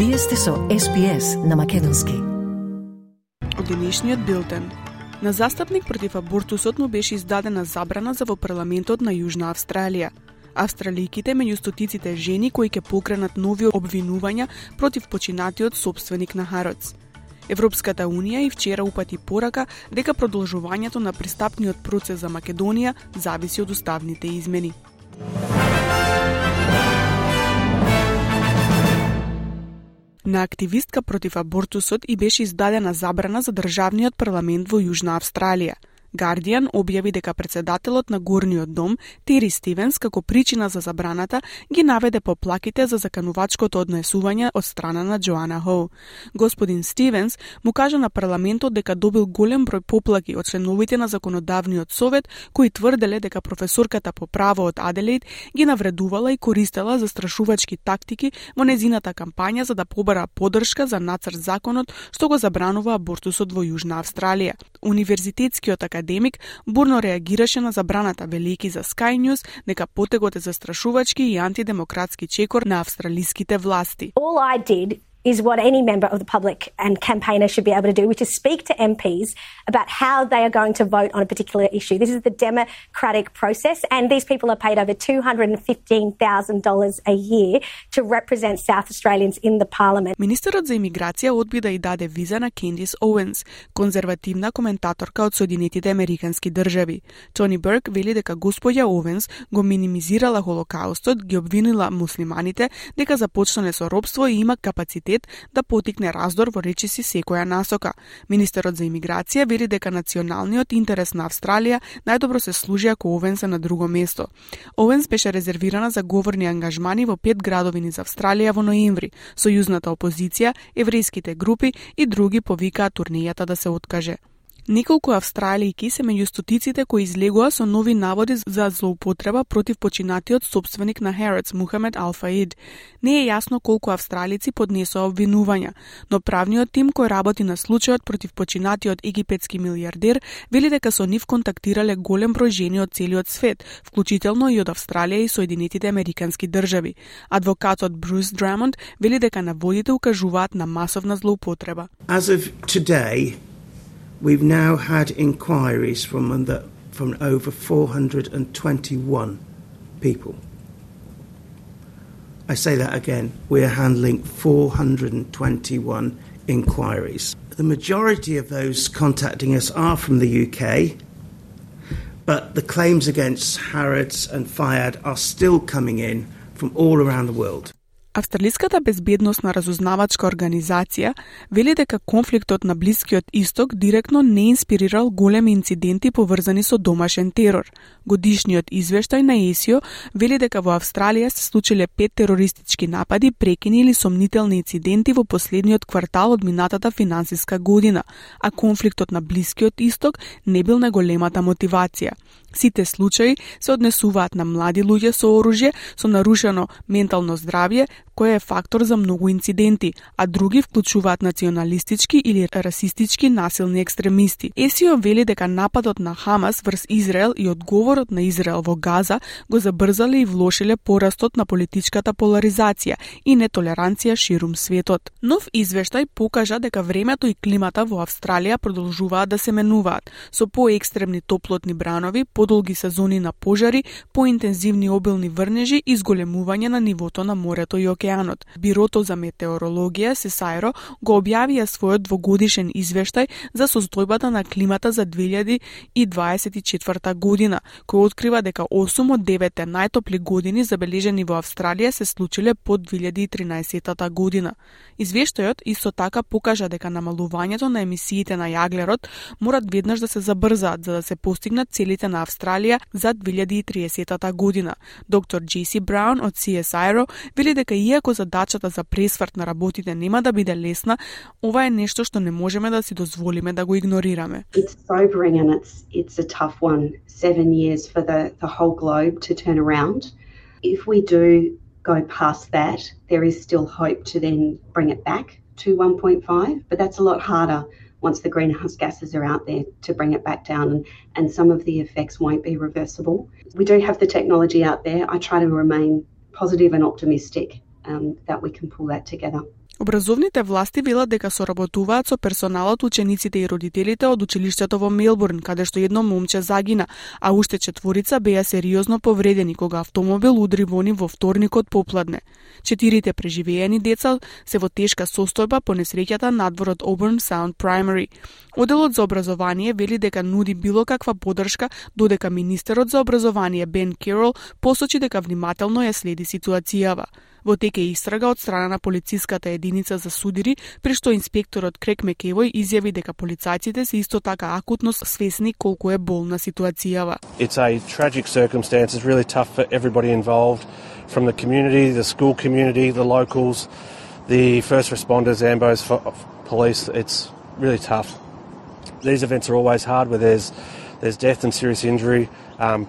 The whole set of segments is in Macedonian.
Вие сте со SPS на македонски. Од денешниот билтен. На застапник против абортусот му беше издадена забрана за во парламентот на Јужна Австралија. Австралијките меѓу стотиците жени кои ќе покренат нови обвинувања против починатиот сопственик на Хароц. Европската Унија и вчера упати порака дека продолжувањето на пристапниот процес за Македонија зависи од уставните измени. На активистка против абортусот и беше издадена забрана за државниот парламент во Јужна Австралија. Guardian објави дека председателот на Горниот дом, Тери Стивенс, како причина за забраната, ги наведе поплаките за заканувачкото однесување од страна на Джоана Хоу. Господин Стивенс му кажа на парламентот дека добил голем број поплаки од членовите на законодавниот совет, кои тврделе дека професорката по право од Аделаид ги навредувала и користела застрашувачки тактики во незината кампања за да побара поддршка за нацрт законот што го забранува абортусот во Јужна Австралија. Универзитетскиот академик бурно реагираше на забраната, велики за Sky News дека потегот е застрашувачки и антидемократски чекор на австралиските власти. All I did is what any member of the public and campaigner should be able to do, which is speak to MPs about how they are going to vote on a particular issue. This is the democratic process, and these people are paid over $215,000 a year to represent South Australians in the parliament. Министерот за имиграција одби да и даде виза на Кендис Оуенс, конзервативна коментаторка од Соединетите Американски држави. Тони Берг вели дека господја Оуенс го минимизирала Холокаустот, ги обвинила муслиманите дека започнале со робство и има капацитет да потикне раздор во речиси секоја насока. Министерот за имиграција вели дека националниот интерес на Австралија најдобро се служи ако Оуенс е на друго место. Оуенс беше резервирана за говорни ангажмани во 5 градови низ Австралија во ноември. Сојузната опозиција, еврејските групи и други повикаа турнејата да се откаже. Неколку австралијки се меѓу стотиците кои излегоа со нови наводи за злоупотреба против починатиот сопственик на Хароц, Мухамед Ал-Фаид. Не е јасно колку австралици поднесоа обвинувања, но правниот тим кој работи на случајот против починатиот египетски милијардер вели дека со нив контактирале голем број жени од целиот свет, вклучително и од Австралија и Соединетите Американски држави. Адвокатот Брус Драмонд вели дека наводите укажуваат на масовна злоупотреба. As of today, we've now had inquiries from over 421 people. I say that again. We're handling 421 inquiries. The majority of those contacting us are from the UK, but the claims against Harrods and Fayad are still coming in from all around the world. Австралиската безбедносна разузнавачка организација вели дека конфликтот на Блискиот Исток директно не инспирирал големи инциденти поврзани со домашен терор. Годишниот извештај на ЕСИО вели дека во Австралија се случиле 5 терористички напади, прекини или сомнителни инциденти во последниот квартал од минатата финансиска година, а конфликтот на Блискиот Исток не бил најголемата мотивација. Сите случаи се однесуваат на млади луѓе со оружје, со нарушено ментално здравје, кој е фактор за многу инциденти, а други вклучуваат националистички или расистички насилни екстремисти. ЕСИО вели дека нападот на Хамас врз Израел и одговорот на Израел во Газа го забрзале и влошиле порастот на политичката поларизација и нетолеранција ширум светот. Нов извештај покажа дека времето и климата во Австралија продолжуваат да се менуваат, со поекстремни топлотни бранови, подолги сезони на пожари, поинтензивни обилни врнежи и зголемување на нивото на морето и океанот. Бирото за метеорологија СЕСАЙРО го објавија својот двогодишен извештај за состојбата на климата за 2024 година, кој открива дека 8 од 9 најтопли години забележени во Австралија се случиле под 2013 година. Извештајот исто така покажа дека намалувањето на емисиите на јаглерод морат веднаш да се забрзаат за да се постигнат целите на Австралија за 2030 година. Доктор Джеси Браун од CSIRO вели дека иако задачата за пресврт на работите нема да биде лесна, ова е нешто што не можеме да си дозволиме да го игнорираме. It's sobering and it's a tough one. 7 years for the whole globe to turn around. If we do go past that, there is still hope to then bring it back to 1.5, but that's a lot harder once the greenhouse gases are out there to bring it back down, and some of the effects won't be reversible. We do have the technology out there. I try to remain positive and optimistic that we can pull that together. Образовните власти велат дека соработуваат со персоналот, учениците и родителите од училиштето во Мелбурн, каде што едно момче загина, а уште 4 беа сериозно повредени кога автомобил удри во нив во вторникот попладне. 4 преживеени деца се во тешка состојба по несреќата надвор од Auburn Sound Primary. Оделот за образование вели дека нуди било каква поддршка, додека министерот за образование Бен Керол посочи дека внимателно ја следи ситуацијава. Во тек е истрага од страна на полициската единица за судири, при што инспекторот Крек Мекевој изјави дека полицајците се исто така акутно свесни колку е болна ситуацијава. It's a tragic circumstance. It's really tough for everybody involved, from the community, the school community, the locals, the first responders, ambos, police. It's really tough. These events are always hard where there's death and serious injury,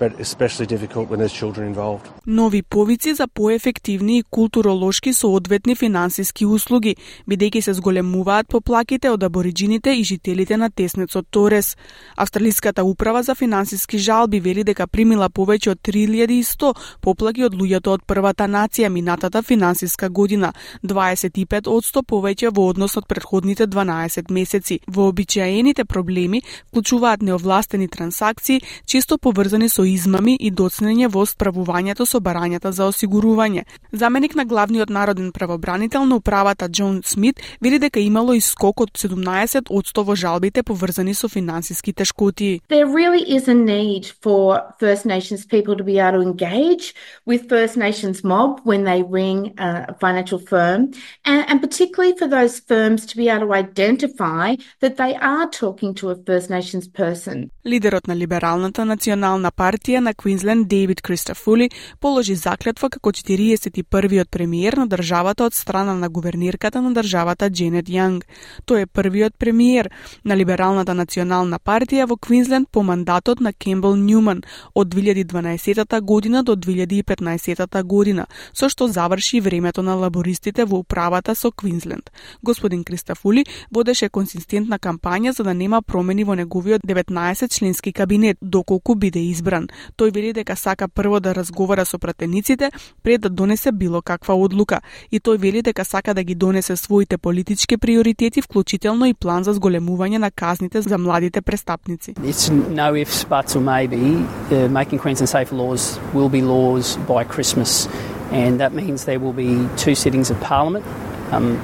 but especially difficult when there's children involved. Нови повици за поефективни и културолошки соодветни финансиски услуги, бидејќи се зголемуваат поплаките од абориџините и жителите на теснецот Торес. Австралиската управа за финансиски жалби вели дека примила повеќе од 3100 поплаки од луѓето од првата нација минатата финансиска година, 25% повеќе во однос од претходните 12 месеци. Вообичаените проблеми вклучуваат неовластени трансакции, често поврзани со измами и доцнење во справувањето со барањата за осигурување. Заменик на главниот народен правобранител на управата Џон Смит вели дека имало и скок од 17% во жалбите поврзани со финансиски тешкоти. There really is a need for First Nations people to be able to engage with First Nations mob when they ring a financial firm, and particularly for those firms to be able to identify that they are talking to a First Nations person. Лидерот на Либералната национална партија на Квинсленд Дейвид Кристафули положи заклетва како 41-виот премиер на државата од страна на гувернерката на државата Дженет Јанг. Тој е првиот премиер на Либералната национална партија во Квинсленд по мандатот на Кембел Њуман од 2012 година до 2015 година, со што заврши времето на лабористите во управата со Квинсленд. Господин Кристафули водеше консистентна кампања за да нема промени во неговиот 19-членски кабинет, доколку биде избран. Тој вели дека сака прво да разговара со пратениците пред да донесе било каква одлука, и тој вели дека сака да ги донесе своите политички приоритети, вклучително и план за зголемување на казните за младите престапници. It's no ifs, buts or maybe. Making Queensland safer laws will be laws by Christmas, and that means there will be 2 sittings of Parliament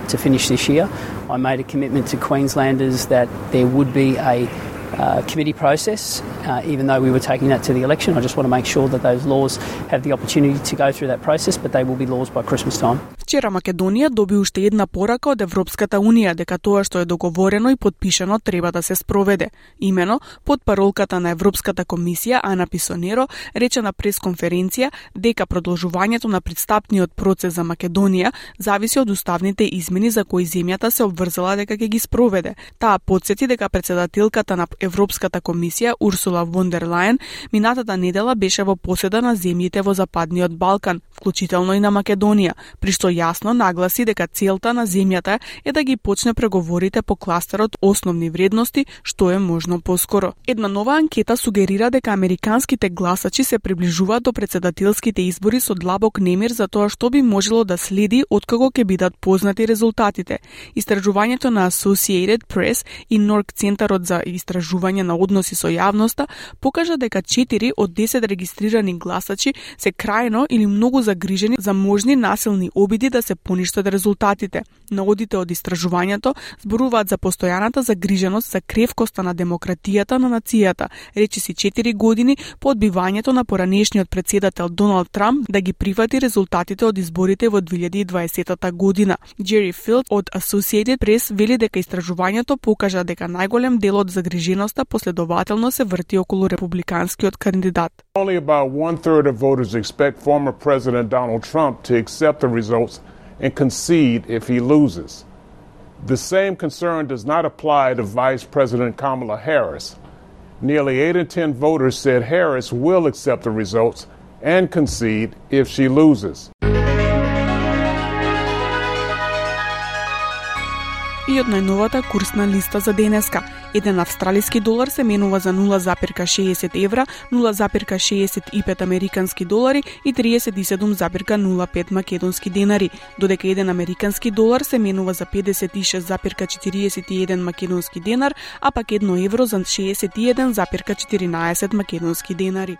to finish this year. I made a commitment to Queenslanders that there would be a committee process, even though we were taking that to the election. I just want to make sure that those laws have the opportunity to go through that process, but they will be laws by Christmas time. Вчера Македонија доби уште една порака од Европската Унија дека тоа што е договорено и подпишано треба да се спроведе. Имено, под паролката на Европската комисија Ана Писонеро рече на пресконференција дека продолжувањето на пристапниот процес за Македонија зависи од уставните измени за кои земјата се обврзала дека ќе ги спроведе. Таа потсети дека председателката на Европската комисија Урсула фон дер Лајен минатата недела беше во поседа на земјите во Западниот Балкан, вклучително и на Македонија, при што јасно нагласи дека целта на земјата е да ги почне преговорите по кластерот основни вредности, што е можно поскоро. Една нова анкета сугерира дека американските гласачи се приближуваат до председателските избори со длабок немир за тоа што би можело да следи откако ќе бидат познати резултатите. Истражувањето на Associated Press и Норк Центарот за истражување на односи со јавноста покажа дека 4 од 10 регистрирани гласачи се крајно или многу загрижени за можни насилни обиди да се поништат резултатите. Наводите од истражувањето зборуваат за постојаната загриженост за кревкоста на демократијата на нацијата, речиси 4 години по одбивањето на поранешниот председател Доналд Трамп да ги прифати резултатите од изборите во 2020 година. Джери Филд од Associated Press вели дека истражувањето покажа дека најголем дел од загриженоста последователно се врти околу републиканскиот кандидат. Only about 1/3 of voters expect former President Donald Trump to accept the results and concede if he loses. The same concern does not apply to Vice President Kamala Harris. Nearly 8 in 10 voters said Harris will accept the results and concede if she loses. И од најновата курсна листа за денеска. Еден австралиски долар се менува за 0,60 евра, 0,65 американски долари и 37,05 македонски денари, додека еден американски долар се менува за 56,41 македонски денар, а пак 1 евро за 61,14 македонски денари.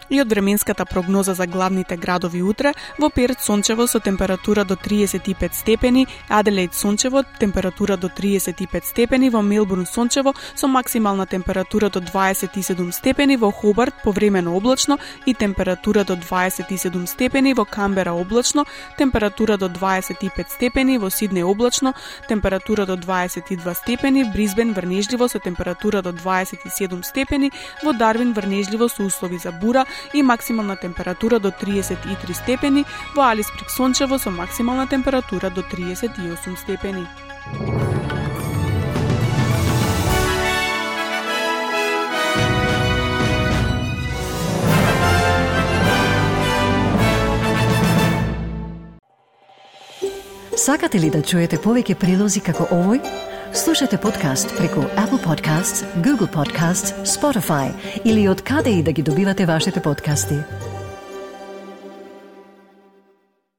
И од временската прогноза за главните градови утре, во Перт сончево со температура до 35 степени, Аделаид сончево, температура до 35 степени, во Мелбурн сончево со максимална температура до 27 степени, во Хобарт повремено облачно и температура до 27 степени, во Камбера облачно, температура до 25 степени, во Сиднеј облачно, температура до 22 степени, Брисбен врнежливо со температура до 27 степени, во Дарвин врнежливо со услови за бура и максимална температура до 33 степени, во Алисприк сончево со максимална температура до 38 степени. Сакате ли да чуете повеќе прилози како овој? Слушате подкаст преку Apple Podcasts, Google Podcasts, Spotify или од каде и да ги добивате вашите подкасти.